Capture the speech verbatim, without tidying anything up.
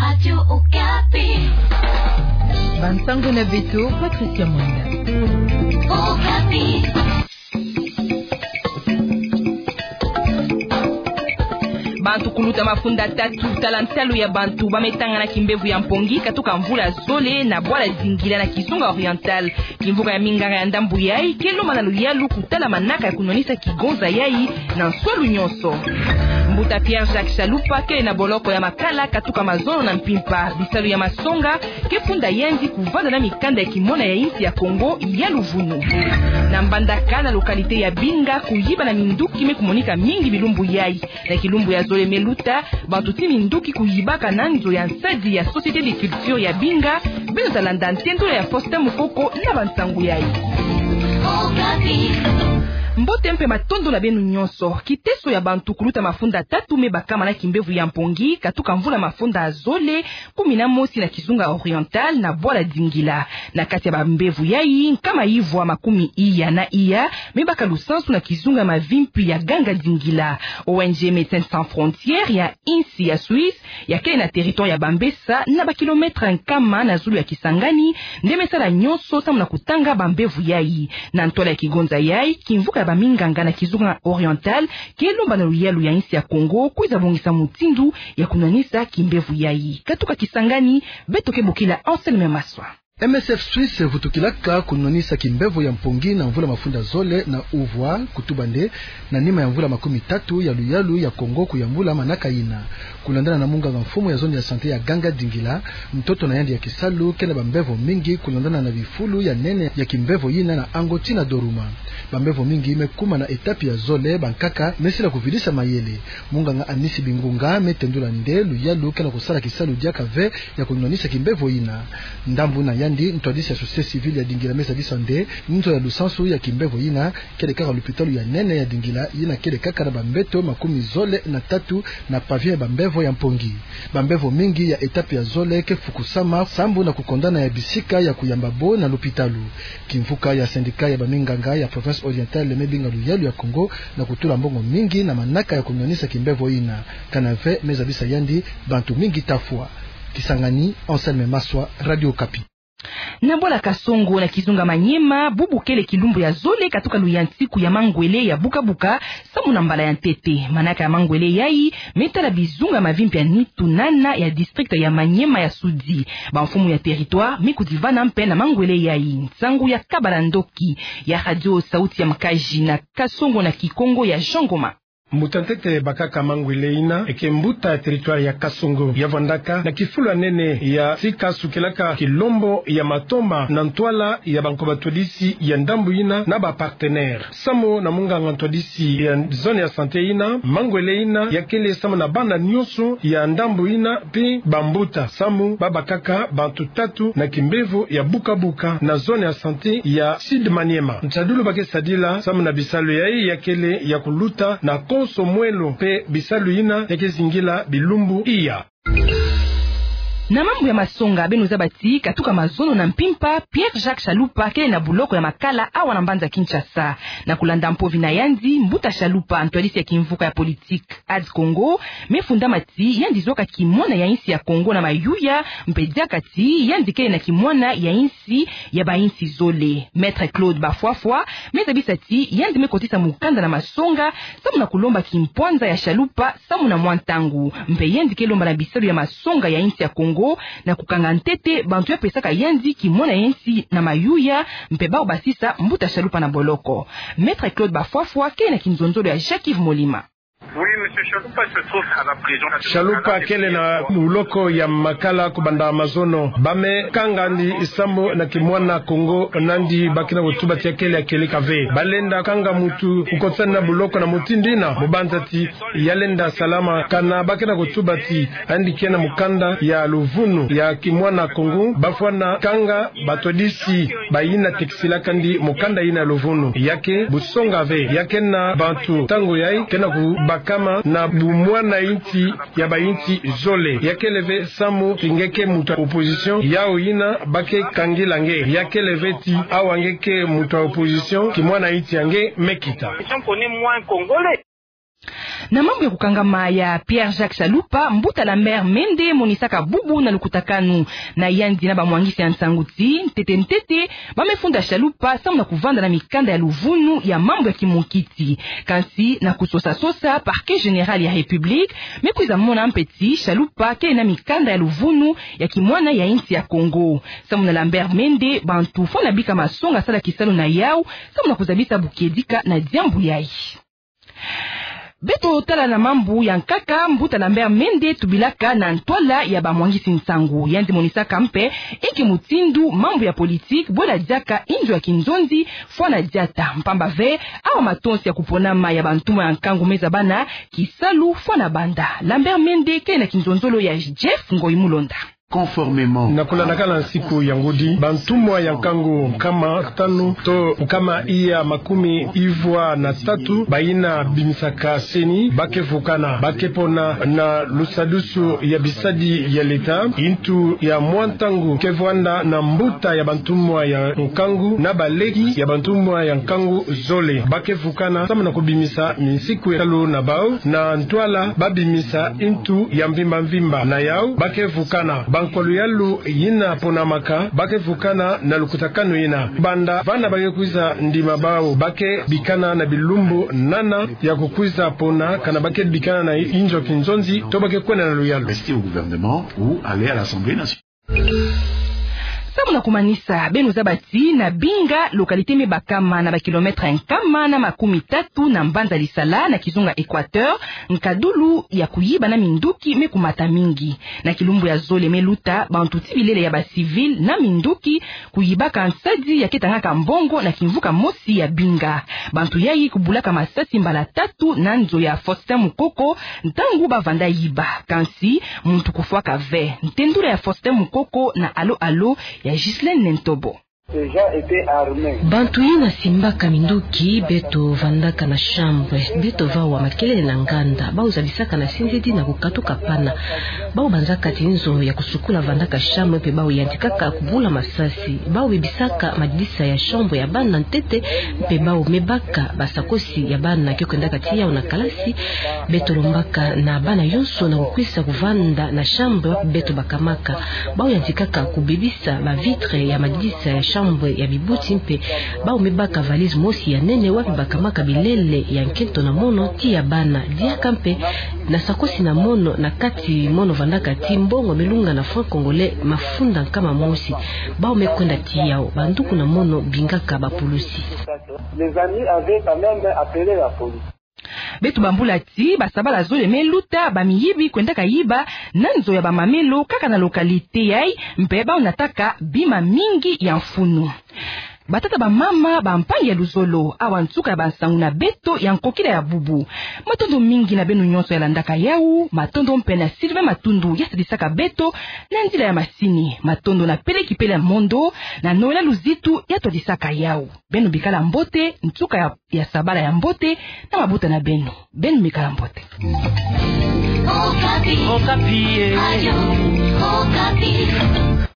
Radio Okapi. Bansango na beto, Patricia Mwanda. Okapi. Bantu kuluta mafunda tatu, tala ntalu ya bantu ba me tanga na kimbevo ya mpongi katuka mvula zole na bwala Dingila na Kizunga Oriental. Kimvuka ya minganga ya ndambu yai ke lomba na luyalu kutala manaka ya kunwanisa kigonza yai na nswalu nyonso. Mbuta Pierre Jacques Chalupa kele na boloko ya Makala katuka mazono na mpimpa. Bisalu ya masonga ke funda yandi kuvanda na mikanda ya kimona ya insi ya Kongo ya luvunu. Na Mbandaka, na localité ya Binga, kuyiba na minduki me kumonika mingi bilumbu yai. Na kilumbu ya zole me luta, bantu ti minduki kuyibaka na nzo ya nsadi ya Société de Culture ya Binga. Beno ta landa ntendola ya Faustin Mukoko na bansango yai. Mbote mpe matondo na beno nyonso. Kiteso ya bantu kuluta mafunda tatu me bakama na kimbevo ya mpongi katuka mvula mafunda zole kumi na mosi na Kizunga Oriental na bwala Dingila. Na kati ya bambevo yai, nkama ivwa makumi iya na iya me baka lusansu na kizunga ya mavimpi ya Ganga Dingila. O N G Médecins Sans Frontières ya insi ya Suisse, ya kele na territoire ya Bambessa, na ba kilomètre nkama na zulu ya Kisangani, nde me sala nyonso samu na kutanga bambevo yai. Na ntwala ya kigonza yai, kimvuka ya baminganga na Kizunga Oriental ke lomba na luyalu ya insi ya Kongo kwiza bongisa mutindu ya kunwanisa kimbevo yai. Katuka Kisangani, beto ke bokila Anselme Maswa. M S F Suisse vutukilaka kunwanisa kimbevo ya mpongi na mvula mafunda zole na uvwa, kutuba nde na nima ya mvula makumi tatu ya luyalu ya Kongo kuyambula manaka yina. Kulandana na munganga mfumu ya zone ya santé ya Ganga Dingila, ntoto na yandi ya kisalu ke na bambevo mingi kulandana na bifulu ya nene ya kimbevo yina na Ango tii na Doruma. Bambevo mingi me kuma na étape ya zole, bankaka me sila kuvidisa mayele. Munganga Anisi Bingunga me tendula nde luyalu ke na kusala kisalu diaka ve ya kunwanisa kimbevo yina. Ndambu na yandi, ntwadisi ya société civile ya Dingila me zabisa nde nzo ya lusansu ya kimbevo yina kele kaka lupitalu ya nene ya Dingila, yina kele kaka na bambeto makumi zole na tatu na pavillon ya bambevo ya mpongi. Bambevo mingi ya étape ya zole ke fukusama sambu na kukondana ya bisika ya kuyamba bo na lupitalu. Kimvuka ya syndicat ya baminganga ya province orientale me binga luyalu ya Kongo na kutula mbongo mingi na manaka ya kunwanisa kimbevo yina. Kana ve me zabisa yandi, bantu mingi ta fwa. Kisangani, Anselme Maswa, Radio Okapi. Na bwala Kasongo na kizunga Maniema, bubu kele kilumbu ya zole katuka luyantiku ya mangwele ya buka-buka, samu na mbala ya ntete. Manaka ya mangwele yai me tala bizunga mavimpi ya nitu nana ya district ya Maniema ya Sudi. Bamfumu ya territoire me kudivana mpe na mangwele yai. Nsangu ya Kabala Ndoki ya Radio Sauti ya Mkazi na Kasongo na Kikongo ya Jean Ngoma. Mbuta ntete bakaka mangwele yina, e ke mbuta ya territoire ya Kasongo, ya vandaka na kifulu ya nene ya sika sukilaka kilombo ya matomba na ntwala ya banko batwadisi ya ndambu yina na ba partenaires. Samu na munganga ntwadisi ya zone ya santé yina, mangwele yina ya kele samu na bana nyonso ya ndambu yina mpe bambuta, samu babakaka bantu tatu na kimbevo ya buka-buka na zone ya santé ya Sud Maniema. Ntadulu ba ke sadila samu na bisalu yai ya kele ya kuluta na konso mwelo mpe bisalu yina ya ke zingila bilumbu iya. Na mambu ya masonga, beno zaba ti katuka mazono na mpimpa, Pierre Jacques Chalupa kele na buloko ya Makala awa na mbanza Kinshasa. Na kulanda mpovi na yandi, mbuta Chalupa, ntwadisi ya kimvuka ya politique Ad Congo, me fundama ti yandi zwaka kimwana ya insi ya Kongo na mayuya, mpe diaka ti yandi kele na kimwana ya insi ya bainsi zole. Maître Claude Bafwafwa me zabisa ti yandi me kotisa mukanda na masonga samu na kulomba kimpwanza ya Chalupa samu na mwa ntangu. Mpe yandi ke lomba na bisalu ya masonga ya insi ya Kongo na kukanga ntete bantu ya pesaka yandi kimwana ya insi na mayuya, mpe bawu basisa mbuta Chalupa na boloko. Maître Claude Bafwafwa kele na kinzonzolo ya Jacques-Yves Molima. Oui, monsieur Chalupa se trouve à la prison. Chalupa kele na buloko ya Makala kubanda mazono. Ba me kanga yandi samu na kimwana Kongo na yandi ba ke na kutuba ti ya kele ya kieleka ve. Ba lenda kanga muntu kukotisa yandi na buloko na mutindu yina, mu banza ti ya lenda salama. Kana ba ke na kutuba ti yandi ke na mukanda ya luvunu ya kimwana Kongo, ba fwana kanga batwadisi bayina tekisilaka yandi mukanda yina ya luvunu. Ya ke busonga ve, ya ke na bantu ntangu yai ke na kubakama na bumwana insi ya bainsi zole. Ya kele ve samu ti nge ke muntu ya opposition, yawu yina ba ke kangila nge. Ya kele ve ti awa nge ke muntu ya opposition, kimwana insi ya nge me kita. Na mambu ya kukangama ya Pierre-Jacques Chalupa, mbuta Lambert Mende monisaka bubu na lukutakanu na yandi na bamwangisi ya nsangu ti, ntete ntete, ba me funda Chalupa samu na kuvanda na mikanda ya luvunu ya mambu ya kimunkiti. Kansi na kusosa-sosa, Parquet Général ya République me kwiza mona mpe ti Chalupa kele na mikanda ya luvunu ya kimwana ya insi ya Congo. Samu na Lambert Mende, bantu fwana bika masonga sala kisalu na yau samu na kuzabisa bukedika na diambu yayi. Beto tala na mambu ya nkaka, mbuta Lambert Mende tubilaka na ntwala ya bamwangisi nsangu. Yandi monisaka mpe inki mutindu mambu ya politique bwela diaka inzo ya kinzonzi fwana diata. Mpamba ve, awa matonsi ya kuponama ya bantumwa ya nkangu me zabana kisalu fwana banda. Lambert Mende kele na kinzonzolo ya Jeff Ngoyi Mulonda. Conformément. Na kulandakana nsiku ya ngudi, bantumwa ya nkangu nkama tanu to nkama iya makumi ivwa na tatu bayina bimisaka CENI ba ke vukana, ba ke pona na lusadusu ya bisadi ya leta, intu ya mwa ntangu ke vwanda na mbuta ya bantumwa ya nkangu na baleki ya bantumwa ya nkangu zole. Ba ke vukana samu na kubimisa minsiku ya kisalu na bau, na ntwala ba bimisa intu ya mvimba-mvimba. Na yau, ba ke vukana. Bankwalu yalu yina ponamaka, ba ke vukana na lukutakanu yina. Banda vana ba ke kwiza ndima bau, ba ke bikana na bilumbu nana ya kukwiza pona, kana ba ke bikana na inzo ya kinzonzi, to ba ke kwenda na luyalu. Rester au gouvernement ou aller à l'Assemblée nationale. Samu na kumanisa, beno zaba ti na Binga, localité me bakama na ba kilomètre nkama na makumi tatu na mbanza Lisala na kizunga Équateur, nkadulu ya kuyiba na minduki me kumata mingi. Na kilumbu ya zole me luta, bantu ti bilele ya ba civil na minduki kuyibaka nsadi ya ke tangaka mbongo na kimvuka mosi ya Binga. Bantu yayi kubulaka masasi mbala tatu na nzo ya Faustin Mukoko, ntangu ba vanda yiba. Kansi, muntu kufwaka ve. Ntendula ya Faustin Mukoko na Allô Allô ya Ghislaine Nentobo. Ces gens étaient armés. Bantu yina simbaka minduki, beto vandaka na chambre, beto vawa makelele na nganda, bau zabisaka na sendedi na kukatuka pana. Bau banzaka ti nzo ya kusukula vandaka chambre mpe bau yantikaka kubula masasi. Bau bebisaka madidisa ya chambre ya bana ntete, mpe bau me baka basakosi ya bana ke kwendaka ti yau na kalasi. Beto lombaka na bana yonso na kukwisa kuvanda na chambre wapi beto bakamaka. Bau yantikaka kubebisa ba vitre ya madidisa ya chambre ya bibuti mpe bau me baka valise mosi ya nene wapi bakamaka bilele ya nkento na mono ti ya bana. Diaka mpe na sakosi na mono na kati mono vandaka ti mbongo me lunga na franc congolais mafunda nkama mosi. Bau me kwenda ti yau, banduku na mono bingaka bapulusi. Les amis avaient quand même appelé la police. Beto bambula ti, basabala zole me luta, bamiyibi kwendaka yiba na nzo ya bamamelo kaka na localité yayi, mpe bau nataka bima mingi ya mfunu. Batata, bamama, bampangi ya luzolo, awa nsuka ya bansangu na beto ya nkokila ya bubu. Matondo mingi na beno nyonso ya landaka yau, matondo mpe na Sylvain Matundu ya sadisaka beto na nzila ya masini, matondo na Pele Kipele Mondo na Noëlla Luzitu ya twadisaka yau. Beno bikala mbote, nsuka ya, ya sabala ya mbote na mabota na beno. Beno bikala mbote. Okapi. Okapi, eh. Radio Okapi.